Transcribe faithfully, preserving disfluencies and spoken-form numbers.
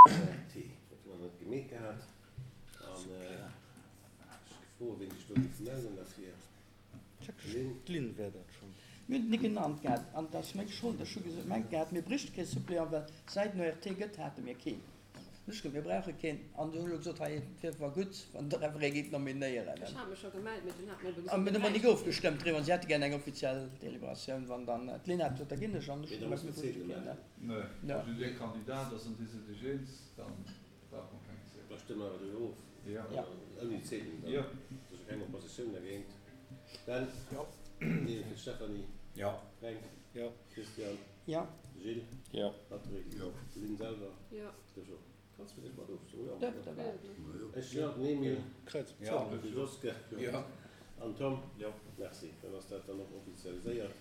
O R T. Dat hu mer net gemeet gehat. An ech froe ween sech do géif mellen derfir. Lynn? D'Lynn wär dat schonn. Mir hunn et ni genannt gehat an et ass meng Schold. Ech hu gemengt gehat, mir bréichte kee Suppléant, well säit den O R T gëtt, hate mir keen. Hunn ech gesot, mir brauche keen. An du hunn elo gesot, hei, et wier awer gutt, wann Der awer ee géift nominéieren. Ech hat mech scho gemellt, mee dunn hat mir ebe An gesot, mir mir hu nik bräichten ofgestëmmt driwwer. An si hätte gär eng offiziell Deliberatioun, wann dann d'Lynn hat gesot, da ginn ech. An ech Mee hu da gemengt, muss mir de bréichte Ziedel keen. maachen. Nee, Jo. wann dee Kandidat ass an dir sidd iech eens, da brauche mer keng Ziedel. Da stëmme mer awer driwwer of. Jo. Jo. Ouni Ziedel dann. Jo. Et ass jo keng Oppositioun dergéint. Ben? Jo. Emile fir d'Stéphanie. Jo. Fränk. Jo. Christian. Jo. Gilles. Jo. Patrick. Jo. Lynn selwer. Jo. De Jo. Kanns du dech mat ofstëmmen? Jo. Dierft awer. Ech jo. Den Emile. Kräiz. Jo. De Joske. Jo. An Tom. Jo. Merci. Dann ass dat dann och offizialiséiert.